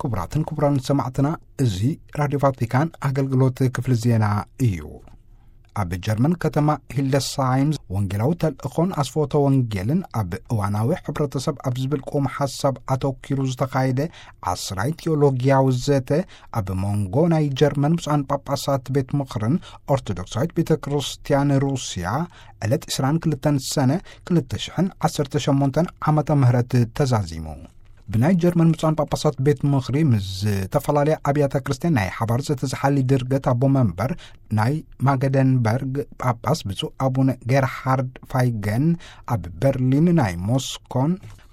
ክቡራትን ክቡራን ሰማዕትና፣ እዚ ራድዮ ቫቲካን ኣገልግሎት ክፍሊ ዜና እዩ። ኣብ ጀርመን ከተማ ሂልደስሃይም ወንጌላዊ ተልእኾን ኣስፎተ ወንጌልን ኣብ እዋናዊ ሕብረተሰብ ኣብ ዝብል ቁም ሓሳብ ኣተኪሩ ዝተኻየደ ዓስራይ ቴዎሎጊያዊ ዘተ፣ ኣብ መንጎ ናይ ጀርመን ብፁዓን ጳጳሳት ቤት ምኽርን ኦርቶዶክሳዊት ቤተ ክርስቲያን ሩስያ ዕለት ዕስራን ክልተን ሰነ ክልተ ሽሕን ዓሰርተ ሸሞንተን ዓመተ ምህረት ተዛዚሙ። ብናይ ጀርመን ብፁዓን ጳጳሳት ቤት ምኽሪ ምስ ዝተፈላለያ ኣብያተ ክርስቲያን ናይ ሓባር ዘተዝሓሊ ድርገት ኣቦ መንበር ናይ ማገደንበርግ ጳጳስ ብፁዕ ኣቡነ ጌርሃርድ ፋይገን ኣብ በርሊን ናይ ሞስኮን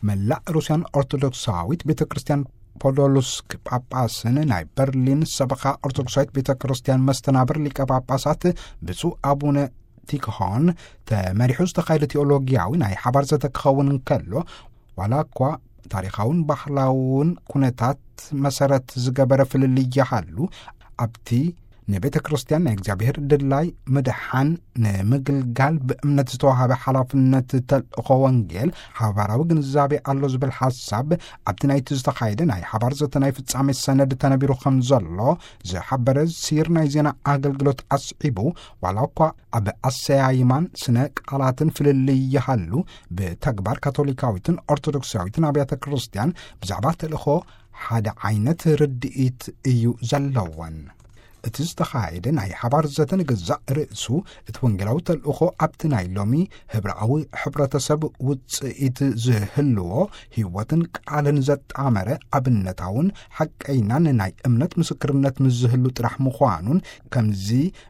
መላእ ሩስያን ኦርቶዶክሳዊት ቤተ ክርስቲያን ፖዶሉስክ ጳጳስን ናይ በርሊን ሰበኻ ኦርቶዶክሳዊት ቤተ ክርስቲያን መስተናብር ሊቀ ጳጳሳት ብፁዕ ኣቡነ ቲክሆን ተመሪሑ ዝተኻየደ ቴዎሎጊያዊ ናይ ሓባር ዘተ ክኸውን እንከሎ፣ ዋላ እኳ ታሪኻውን ባህላውን ኩነታት መሰረት ዝገበረ ፍልልይ ይሃሉ፣ ኣብቲ ንቤተ ክርስቲያን ናይ እግዚኣብሔር ድላይ ምድሓን ንምግልጋል ብእምነት ዝተዋሃበ ሓላፍነት ተልእኾ ወንጌል ሓባራዊ ግንዛቤ ኣሎ ዝብል ሓሳብ ኣብቲ ናይቲ ዝተኻየደ ናይ ሓባር ዘተ ናይ ፍጻሜ ሰነድ ተነቢሩ ከም ዘሎ ዝሓበረ ሲር ናይ ዜና ኣገልግሎት ኣስዒቡ፣ ዋላ እኳ ኣብ ኣሰያይማን ስነ ቃላትን ፍልልይ ይሃሉ፣ ብተግባር ካቶሊካዊትን ኦርቶዶክሳዊትን ኣብያተ ክርስቲያን ብዛዕባ ተልእኾ ሓደ ዓይነት ርድኢት እዩ ዘለወን። እቲ ዝተኻየደ ናይ ሓባር ዘተ ንገዛእ ርእሱ እቲ ወንጌላዊ ተልእኾ ኣብቲ ናይ ሎሚ ህብረኣዊ ሕብረተሰብ ውጽኢት ዝህልዎ ህይወትን ቃልን ዘጣመረ ኣብነታውን ሓቀይናን ናይ እምነት ምስክርነት ምስ ዝህሉ ጥራሕ ምዃኑን፣ ከምዚ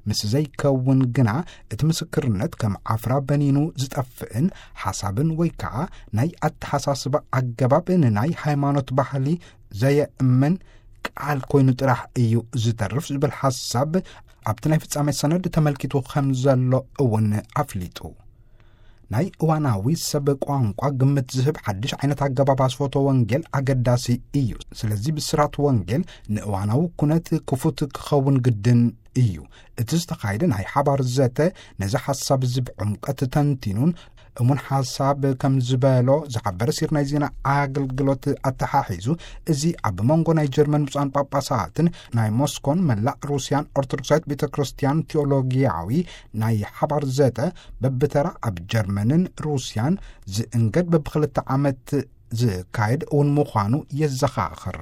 ምስ ዘይከውን ግና እቲ ምስክርነት ከም ዓፍራ በኒኑ ዝጠፍእን ሓሳብን ወይ ከዓ ናይ ኣተሓሳስባ ኣገባብ ንናይ ሃይማኖት ባህሊ ዘየእምን ቃል ኮይኑ ጥራሕ እዩ ዝተርፍ ዝብል ሓሳብ ኣብቲ ናይ ፍጻሜ ሰነድ ተመልኪቱ ከም ዘሎ እውን ኣፍሊጡ። ናይ እዋናዊ ሰብ ቋንቋ ግምት ዝህብ ሓድሽ ዓይነት ኣገባብ ኣስፎቶ ወንጌል ኣገዳሲ እዩ። ስለዚ ብስራት ወንጌል ንእዋናዊ ኩነት ክፉት ክኸውን ግድን እዩ። እቲ ዝተኻየደ ናይ ሓባር ዘተ ነዚ ሓሳብ እዚ ብዕምቀት ተንቲኑን እሙን ሓሳብ ከም ዝበሎ ዝሓበረ ሲር ናይ ዜና ኣገልግሎት ኣተሓሒዙ፣ እዚ ኣብ መንጎ ናይ ጀርመን ብፁዓን ጳጳሳትን ናይ ሞስኮን መላእ ሩስያን ኦርቶዶክሳዊት ቤተ ክርስቲያን ቴዎሎጊያዊ ናይ ሓባር ዘተ በብተራ ኣብ ጀርመንን ሩስያን ዝእንገድ በብክልተ ዓመት ዝካየድ እውን ምዃኑ የዘኻኽር።